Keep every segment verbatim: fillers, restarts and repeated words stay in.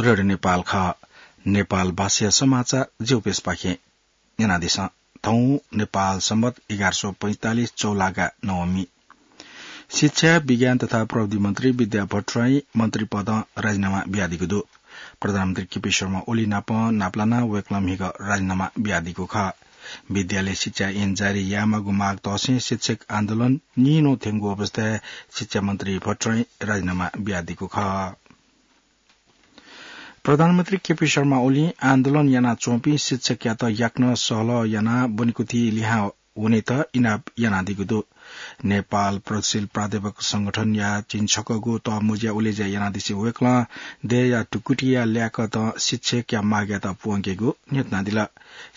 रेडियो नेपाल खः। नेपाल भाषाया समाचार ज्यू प्रेसपाखें न्यनादिसँ। थौं नेपाल संवत एघार सौ पैंतालिस चौलागा नवमी। शिक्षा, विज्ञान तथा प्रविधि मन्त्री विद्या भट्टराई मन्त्री पदं राजीनामा बियादीगु दु। प्रधानमन्त्री केपी शर्मा ओली नाप नापलाना वय्कलं म्हिगः राजीनामा बियादीगु खः। विद्यालय शिक्षा ऐन जारी यायेमाःगु माग तःसें शिक्षक आन्दोलन निन्हु थ्यंगु अवस्थाय् शिक्षा मन्त्री भट्टराई राजीनामा बियादीगु खः। प्रधानमन्त्री केपी शर्मा ओलीं आन्दोलन यानाच्वंपिं शिक्षकयात याकनं सहलह यानाः ब्वनेकुथि लिहां वनेत इनाप यानादीगु दु। नेपाल प्रगतिशील प्राध्यापक संगठनया झिंछकःगु तःमुँज्या उलेज्या यानादिसें वय्कलं देय्‌या ढुकुटिया ल्याकतं शिक्षकया मागयात प्वंकेगु न्ह्यथनादिल।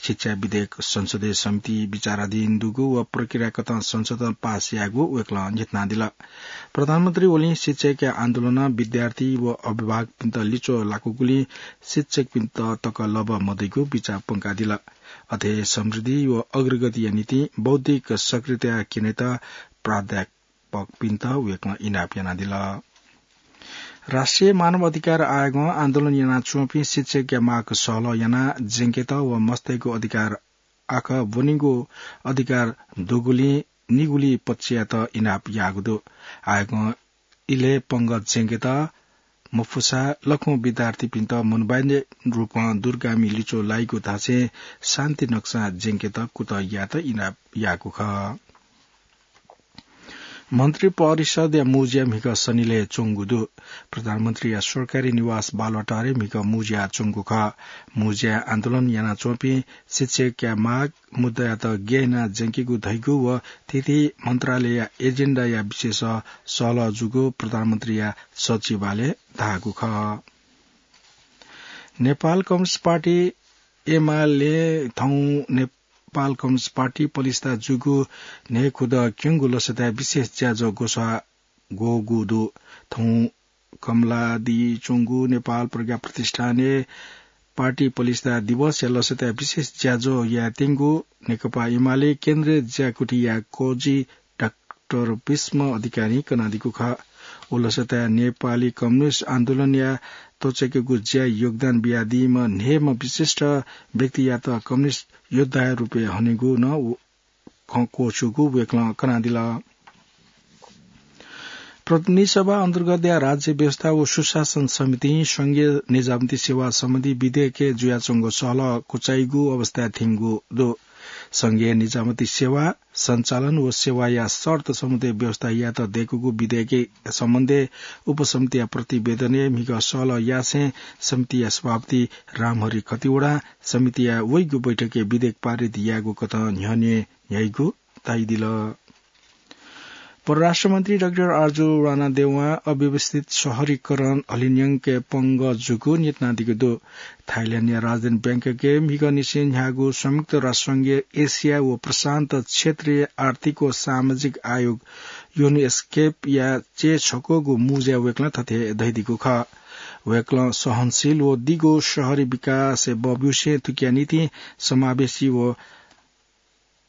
शिक्षा विधेयक संसदीय समिति विचाराधीन दुगु व प्रक्रियाकथं संसदं पास यायेगु वय्कलं न्ह्यथनादिल। प्रधानमन्त्री ओलीं शिक्षकया आन्दोलनं विद्यार्थी व अभिभावकपिन्त लिच्वः लाकूगुलिं शिक्षकपिन्त तक लभ्व मदइगु बिचाः प्वंकादिल। अथे समृद्धि व अग्रगतिया निंतिं बौद्धिक सक्रियता क्यनेत प्राध्यापकपिन्त वय्कलं इनाप यानादिल। राष्ट्रिय मानव अधिकार आयोगं आन्दोलन यानाच्वंपिं शिक्षकया माग सहलह यानाः ज्यंकेत व मस्तय्गु अधिकार आखः ब्वनीगु अधिकार दुगुलिं निगुलि पक्षयात इनाप याःगु दु। आयोगं इलय् पंगः ज्यंकेत मफुसा लखं विद्यार्थीपिन्त मनोवैज्ञानिक रूपं दूरगामी लिच्वः लाइगु धासें शान्ति नक्सां ज्यंकेत कुतः यायेत इनाप याःगु खः। मन्त्री परिषदया मुँज्या म्हिगः सनिलय् च्वंगु दु। प्रधानमन्त्रीया सरकारी निवास बालुवाटारय् म्हिगः मुँज्या च्वंगु खः। मुँज्याय् आन्दोलन यानाच्वंपिं शिक्षकया माग मुद्दायात ग्यानाः ज्यंकेगु धइगु व थीथी मन्त्रालयया एजेन्डाया विषयस सहलह जूगु प्रधानमन्त्रीया सचिवालयं धाःगु खः। नेपाल कम्युनिस्ट पार्टी एमाले थौं नेपाल कम्युनिस्ट पार्टी पलिस्था जूगु न्हय्खुदँ क्यंगु लसताय् विशेष ज्याझ्वः ग्वसाः ग्वःगु दु। थौं कमलादी च्वंगु नेपाल प्रज्ञा प्रतिष्ठानय् पार्टी पलिस्था दिवसया लसताय् विशेष ज्याझ्वः यायेत्यंगु नेकपा एमाले केन्द्रीय ज्याकुथिया कोजि डाक्टर भीष्म अधिकारीं कनादीगु खः। व लसताय् नेपाली कम्युनिस्ट आन्दोलनया त्वचायेकेगु ज्याय् योगदान बियादीम्ह न्हय्म्ह विशिष्ट व्यक्तियात कम्युनिस्ट योद्धाया रूपय् हनेगु नं खँ क्वःछूगु वय्कलं कनादिल। प्रतिनिधि सभा अन्तर्गतया राज्य व्यवस्था व सुशासन समितिं संघीय निजामती सेवा सम्बन्धी विधेयकय् जुयाच्वंगु सहलह कुचाइगु अवस्थाय् थ्यंगु दु। संघीय निजामती सेवा सञ्चालन व सेवाया शर्त सम्बन्धी व्यवस्था यायेत दय्कूगु विधेयकया सम्बन्धय् उपसमितिया प्रतिवेदनय् म्हिगः सहलह यासें समितिया सभापति रामहरि खतिवडां समितिया वइगु बैठकय् विधेयक पारित यायेगु कथं न्ह्यःने न्ह्याइगु धाइदिल। परराष्ट्र मन्त्री डाक्टर आर्जु रानादेवां अव्यवस्थित शहरीकरण हलिंन्यंके पंगः जूगु न्ह्यथनादीगु दु। थाइल्याण्डया राजधानी ब्याङ्ककय् म्हिगःनिसें न्ह्याःगु संयुक्त राष्ट्रसंघया एसिया व प्रशान्त क्षेत्रीय आर्थिक व सामाजिक आयोग युनेस्केपया च्यय्छक्वःगु मुँज्याय् वय्कलं थथे धयादीगु खः। वय्कलं सहनशील व दिगो शहरी विकासय् बब्यूसें थुकिया निंतिं समावेशी व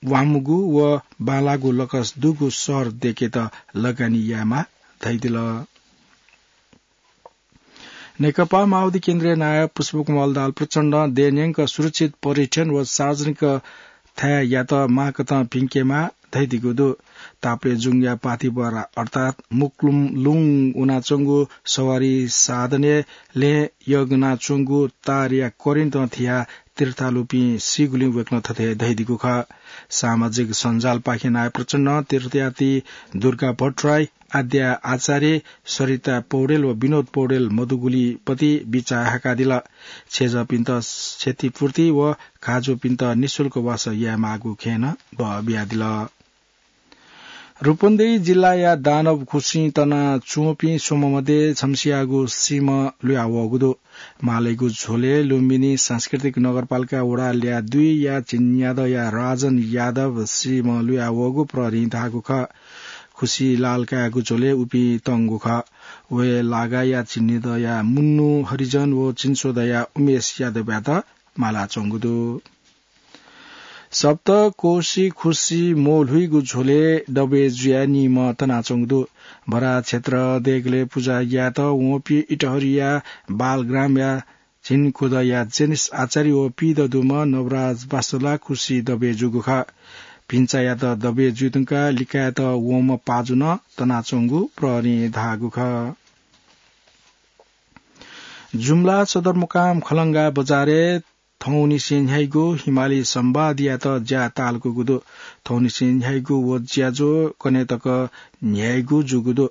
वामगु व बांलाःगु लकस दुगु शहर दय्केत लगानी यायेमाः धयादिल। नेकपा माओवादी केन्द्रीय नायः पुष्पकमल दाहाल प्रचण्डं देय् न्यंक सुरक्षित पर्यटन व सार्वजनिक थाय्‌यात माःकथं भिंकेमाः धयादीगु दु। ताप्लेजुङया पाथिभरा अर्थात् मुक्लुमलुङ वनाच्वंगु सवारी साधनय् लँय् यग्नाच्वंगु तारया करेन्टं थियाः तीर्थयात्रीपिं सीगुलिं वय्कलं थथे धयादीगु खः। सामाजिक सञ्जालपाखें नायः प्रचण्डं तीर्थयात्री दुर्गा भट्टराई, आद्या आचार्य, सरिता पौडेल व विनोद पौडेल मदुगुलिपति बिचाः हाकादिल। छेँजःपिन्त क्षतिपूर्ति व घाःजूपिन्त निशुल्क वासः यायेमाःगु खँय् नं बः बियादिल। रूपन्देही जिल्लाया दानव खुसिं तनाच्वंपिं स्वम्ह मध्ये छम्हसियागु सीम्ह लुयावःगु दु। मालय्‌गु झ्वलय् लुम्बिनी सांस्कृतिक नगरपालिका वडा ल्याः दुईया झिंन्यादँया राजन यादव सीम्ह लुयावःगु प्रहरीं धाःगु खः। खुसि लालकायागु झ्वलय् उपिं तंगु खः। वय् लागाया झिंन्यादँया मुन्नु हरिजन व चिन्स्वदँया उमेश यादवयात मालाच्वंगु दु। सप्तकोशी खुसी मोल्हुइगु झ्वलय् दबे जुया निम्ह तनाच्वंगु दु। बराह क्षेत्र देगलय् पुजा यायेत वंपिं इटहरिया बालग्रामया झिंखुदँया जेनिस आचार्य व पीदँ दुम्ह नवराज बास्तोला खुसी दबे जूगु खः। भिन्चायात दबे जुइधुंकाः लिकायेत वंम्ह पाजु नं तनाच्वंगु प्रहरीं धाःगु खः। जुम्ला सदरमुकाम खलंगा बजारय् थौंनिसें न्ह्याइगु हिमाली संवादयात ज्या तालकूगु दु। थौंनिसें न्ह्याइगु व ज्याझ्वः कन्हय् तक न्ह्याइगु जूगु दु।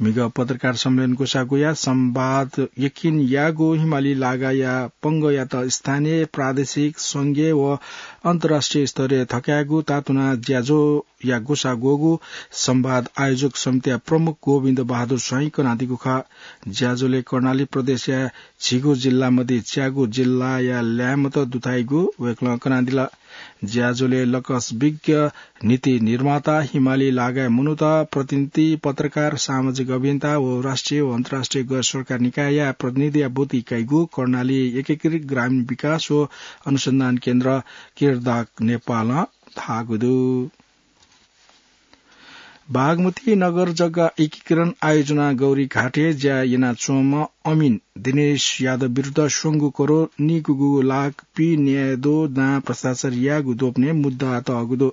म्हिगः पत्रकार सम्मेलन ग्वसाः ग्वयाः संवाद यकिन याःगु हिमाली लागाया पंगःयात स्थानीय, प्रादेशिक, संघीय व अन्तर्राष्ट्रिय स्तरय् थकायेगु तातुना ज्याझ्वःया ग्वसाः ग्वःगु संवाद आयोजक समितिया प्रमुख गोविन्द बहादुर स्वाइं कनादीगु खः। ज्याझ्वलय् कर्णाली प्रदेशया झिगू जिल्ला मध्ये च्यागू जिल्लाया ल्याय्म्हत दुथ्याइगु वय्कलं कनादिल। ज्याझ्वलय् लकस विज्ञ, नीति निर्माता, हिमाली लागाय् मनूत, प्रतिनिधि, पत्रकार, सामाजिक अभियन्ता व राष्ट्रिय व अन्तर्राष्ट्रिय गैर सरकार निकायया प्रतिनिधिया ब्वति कइगु कर्णाली एकीकृत ग्रामीण विकास व अनुसन्धान केन्द्र किरदाक नेपालं धाःगु दु। बागमती नगर जग्गा एकीकरण आयोजना गौरीघाटय् ज्या यानाच्वंम्ह अमिन दिनेश यादव विरुद्ध स्वंगू करोड निगूगू लाख पीन्यादँ दां भ्रष्टाचार याःगु द्वपनय् मुद्दा तःगु दु।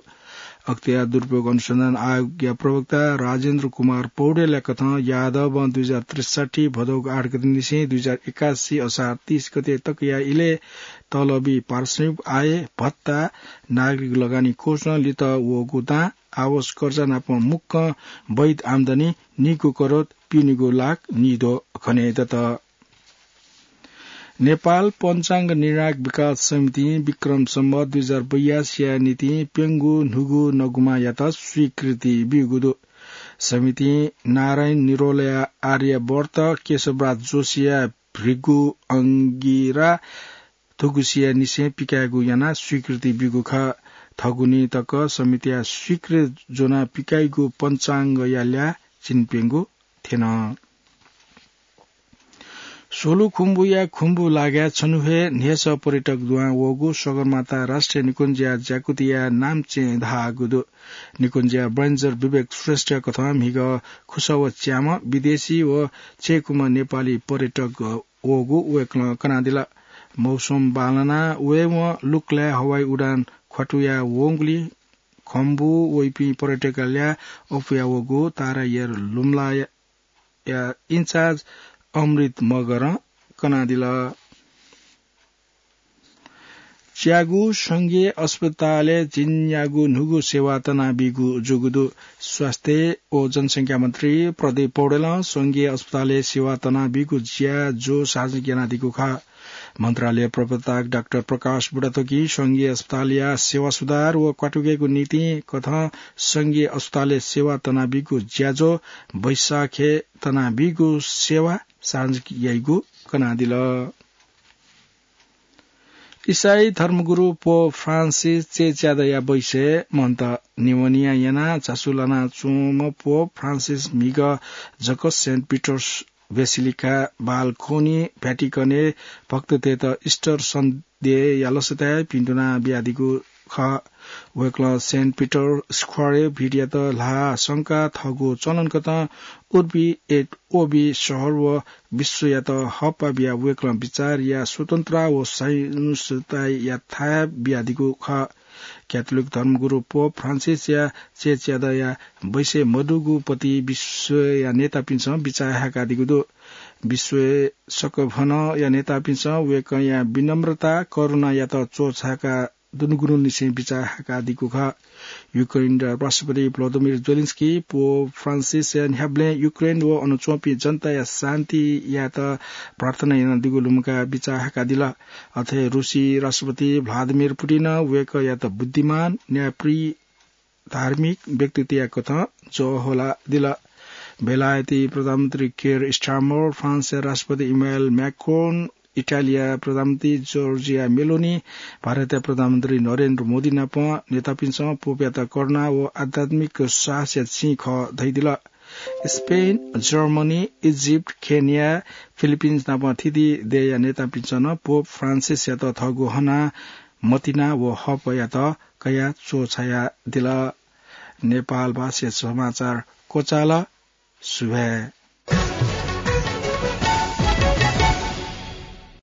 अख्तियार दुरुपयोग अनुसन्धान आयोगया प्रवक्ता राजेन्द्र कुमार पौडेलया कथं यादवं दुई हजार त्रिसठी भदौगु आठ गते निसें दुई हजार एकासी असार तीस गते तकया इलय् तलबी पारिश्रमिक, आय, भत्ता, नागरिक लगानी कोषं लित वःगु दां, आवास कर्जा नाप मुक्कं वैध आम्दानी निगू करोड पीन्यादँ लाख निद्वः खनेदत। नेपाल पञ्चाङ्ग निर्णायक विकास समितिं विक्रम सम्वत दुई हजार बयासीया निंतिं प्यंगू न्हूगू नगुमायात स्वीकृति ब्यूगु दु। समितिं नारायण निरोलया आर्यावर्त, केशवराज जोशीया भृगु अंगिरा, थुगुसिया निसें पिकायेगु यानाः स्वीकृति ब्यूगु खः। थगुनी तक समितिया स्वीकृति ज्वनाः पिकाइगु पञ्चाङ्गया ल्याः चिनाप्यंगु थ्यन। सोलुखुम्बुया खुम्बु लागाय् छन्हु हे न्हय्सः पर्यटक दुहां वःगु सगरमाथा राष्ट्रिय निकुञ्जया ज्याकुथिया नाम्हसिनं धाःगु दु। निकुञ्जया रेन्जर विवेक श्रेष्ठया कथं म्हिगः खुसः व च्याम्ह विदेशी व चय्कुम्ह नेपाली पर्यटक वःगु वय्कलं कनादिल। मौसम बांलाना वयेवं लुक्लाय् हवाई उडान ख्वातुया वंगुलिं खुम्बु वइपिं पर्यटकया ल्याः अप्वया वःगु तारा एयर लुम्लाया इन्चार्ज अमृत मगरं कनादिल। च्यागू संघीय अस्पतालय् झिंन्यागू न्हूगू सेवा तनाबीगु जूगु दु। स्वास्थ्य व जनसंख्या मन्त्री प्रदीप पौडेलं संघीय अस्पतालय् सेवा तनाबीगु ज्याझ्वः सार्वजनिक यानादीगु खः। मन्त्रालय प्रवक्ता डाक्टर प्रकाश बुढाथोकीं संघीय अस्पतालया सेवा सुधार व क्वातुकेगु निंतिं कथं संघीय अस्पतालय् सेवा तनाबीगु ज्याझ्वः वैशाखय् तनाबीगु सेवा सार्वजनिक याइगु कनादिल। इसाई धर्मगुरु पोप फ्रान्सिस चय्च्यादँया बैसय् मन्त निमोनिया यानाः झासु लानाच्वंम्ह पोप फ्रान्सिस म्हिगः जक सेन्ट पिटर्स बेसिलिका बालकोनी भ्याटिकनय् भक्ततय्त इस्टर सन्देहया लसताय् पिन्तुना बियादीगु खः। वय्कलं सेन्ट पिटर स्क्वायरय् भीडयात ल्हाः संकाः थःगु चलनकथं उर्बी एट ओर्बी शहर व विश्वयात हःपाः बियाः वय्कलं बिचारया स्वतन्त्रता व सहिष्णुताया थाय् बियादीगु खः। क्याथोलिक धर्मगुरु पोप फ्रान्सिसया चय्च्यादँया बैसय् मदुगु पति विश्वया नेतापिन्सं बिचाः हाय्कादीगु दु। विश्वय् सकभनया नेतापिन्सं वय्कःया विनम्रता, करुणायात च्वछाय्का दुनुगुनुनिसें बिचाः हाय्कादीगु खः। युक्रेनया राष्ट्रपति भ्लादिमिर जेलेन्स्की पोप फ्रान्सिसया न्ह्याबलें युक्रेन व अन च्वंपिं जनताया शान्ति यायेत प्रार्थना यानादीगु लुमंकाः बिचाः हाय्कादिल। अथे रुसी राष्ट्रपति भ्लादिमिर पुतिनं वय्कःयात बुद्धिमान, न्यायप्रिय, धार्मिक व्यक्तित्वया कथं ज्वःहोलादिल। बेलायती प्रधानमन्त्री कियर स्टारमर, फ्रान्सया राष्ट्रपति इमानुएल म्याक्रोन, इटालीया प्रधानमन्त्री जर्जिया मेलोनी, भारतया प्रधानमन्त्री नरेन्द्र मोदी नाप नेतापिन्सं पोपयात करुणा व आध्यात्मिक साहसया चिं खः धयादिल। Spain, Germany, Egypt, Kenya, Philippines नाप थीथी देय्‌या नेतापिन्सं नं पोप फ्रान्सिसयात थःगु हना मतिना व हपयात कयाः च्वछायादिल। नेपालभाषा समाचार क्वचाल। सुभाय्।